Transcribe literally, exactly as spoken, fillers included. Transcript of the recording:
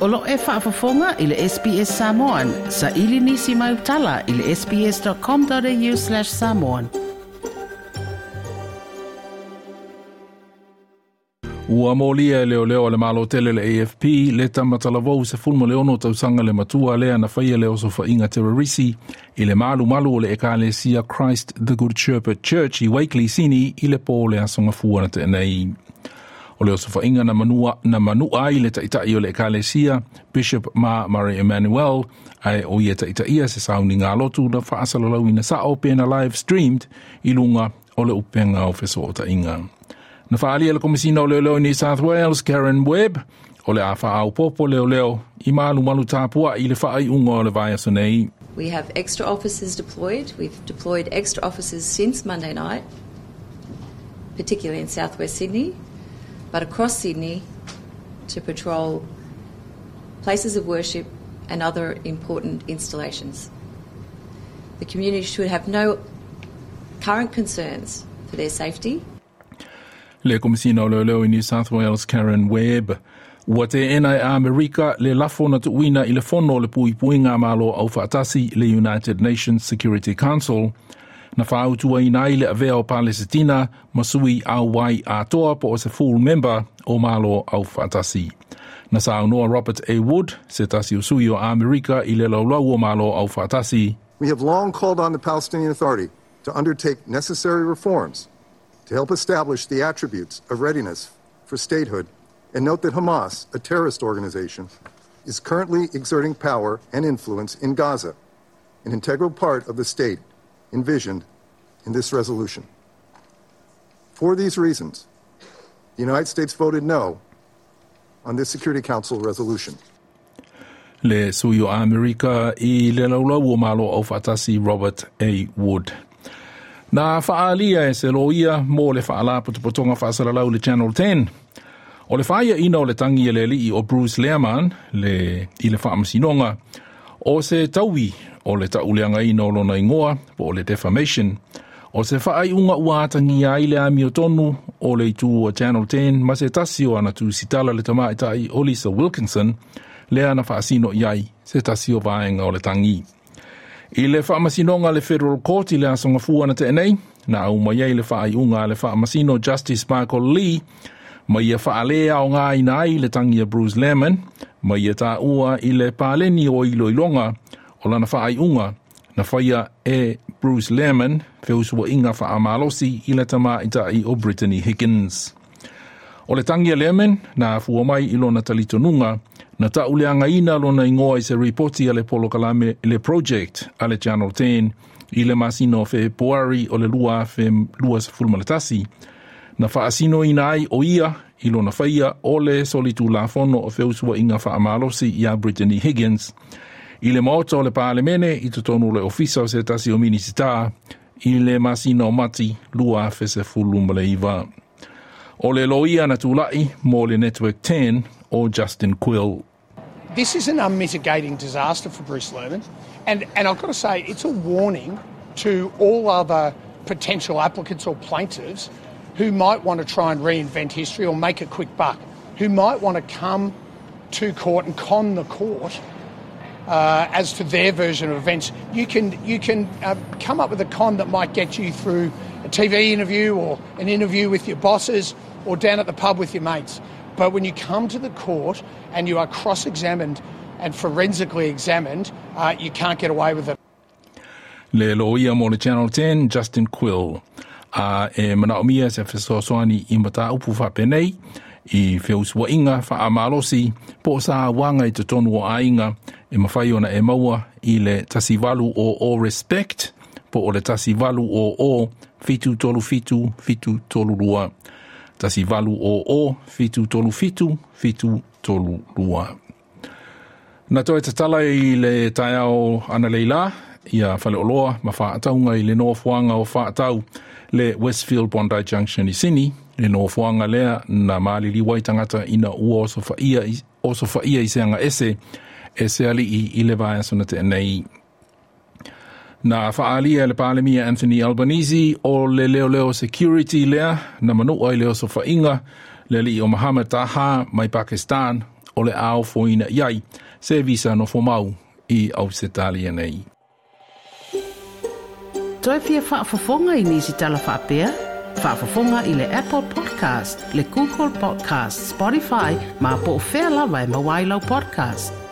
O lo e faafofoga i le S B S Samoan, sa ili nisi mai utala i le sbs.com.au slash samoan. Ua molia e leo leo le malo tele le A F P le tamatalavou se fulmo le ono tausanga le matua lea na whaia le osofainga terrorisi i le malu malu o le ekalesia Christ the Good Shepherd Church i Wakeley Sini i le pō le asonga fua na tēnei. O le osofainga na manua, na manua i le taitai o le ekalesia Bishop Ma Murray Emmanuel ai o ia taitaia se sauni ngā lotu na whaasalalau ina sao pena live streamed i lunga o le upenga o feso'otainga. Na whaalia le komisina o leo leo New South Wales, Karen Webb, o le a whaau popo leo leo i malu malu tāpua i le whaai unga o le vaiaso nei. We have extra officers deployed. We've deployed extra officers since Monday night, particularly in southwest Sydney, but across Sydney to patrol places of worship and other important installations. The community should have no current concerns for their safety. Le komisina o leo leo i New South Wales, Karen Webb. Ua te ena e Amerika le lafo na tuuina i le fono le puipuinga malo au whaatasi le United Nations Security Council. Na whaautua ina i le avea o Palesitina masui au wai atoa po o se full member o malo au whaatasi. Na saunoa Robert A. Wood, se tasi usui o Amerika i le laulau o malo au whaatasi. We have long called on the Palestinian Authority to undertake necessary reforms to help establish the attributes of readiness for statehood, and note that Hamas, a terrorist organization, is currently exerting power and influence in Gaza, an integral part of the state envisioned in this resolution. For these reasons, the United States voted no on this Security Council resolution. Le sui o Amerika i le laulau o malo au whaatasi Robert A. Wood. Nā whaalia e se loia mō le whaala potopotonga whaasalalau le Channel ten. O le whaia ina o le tangi e le lii o Bruce Lehrmann le, i le whaamasinonga o se taui o le tauleanga ina o lona ingoa po o le defamation. O se whaai unga ua atangi ai le amio tonu o le itu o Channel ten ma se tasi o ana tu sitala le tamaitai o Lisa Wilkinson le ana whaasino iai se tasi o vaenga o le tangi. I le whaamasinonga le Federal Court i le asonga fua na tēnei, na au mai ai le whaaiunga le whaamasino Justice Michael Lee, mai ia whaalea o ngā ina ai le tangi a Bruce Lehrmann, mai ia tā ua i le pāleni o ilo ilonga o lana whaaiunga, na whaia e Bruce Lehrmann, feusua inga whaamalosi i le tamaitai o Brittany Higgins. O le tangi a Lehrmann, na fua mai i lona talitonunga, na tauleanga ina lona ingoa i se ripoti a le polokalame le project a le Channel ten i le masino fe poari o le lua fe lua sefulumaletasi. Na whaasino ina ai o ia i lona whaia o le solitu lafono o feusua inga whaamalosi ia Brittany Higgins. I le maota o le pālemene i totonu le ofisa o se tasi o minisita i le masino mati lua fe sefulumaleiva. O le loia na tūlai mō le Network ten o Justin Quill. This is an unmitigating disaster for Bruce Lehrmann. And, and I've got to say, it's a warning to all other potential applicants or plaintiffs who might want to try and reinvent history or make a quick buck, who might want to come to court and con the court uh, as to their version of events. You can, you can uh, come up with a con that might get you through a T V interview or an interview with your bosses or down at the pub with your mates. But when you come to the court and you are cross-examined and forensically examined, uh, you can't get away with it. Le loia mō le Channel ten, Justin Quill. A e manaomia se fesoasoani i mataupu whapenei, i feusua inga whaamalosi, po sa wanga i te tonu o ainga, e mawhai ona e maua i le tasivalu o o respect, po o le tasivalu o o fitu tolu fitu fitu tolu lua. Tasivalu o o fitu tolu fitu fitu tolu lua. Na toe tatala i le taiao ana leila, ia whaleoloa ma whaataunga i le noafuanga o whaatau le Westfield Bondi Junction i Sydney, le noafuanga lea na malili waitangata ina ua oso whaia, oso whaia i seanga ese, e se ali i le vaiaso na te nei. Na whaalia le Palemia Anthony Albanese o le leo leo security lea na manua i le oso whainga le li o Mohammed Taha mai Pakistan O le a ofoina i ai se visa nofomau i Ausetalia nei. Toe fia faafofoga i nisi tala faapea? Faafofoga i le Apple Podcast, le Google Podcast, Spotify, ma po o fea lava e maua ai lau podcast.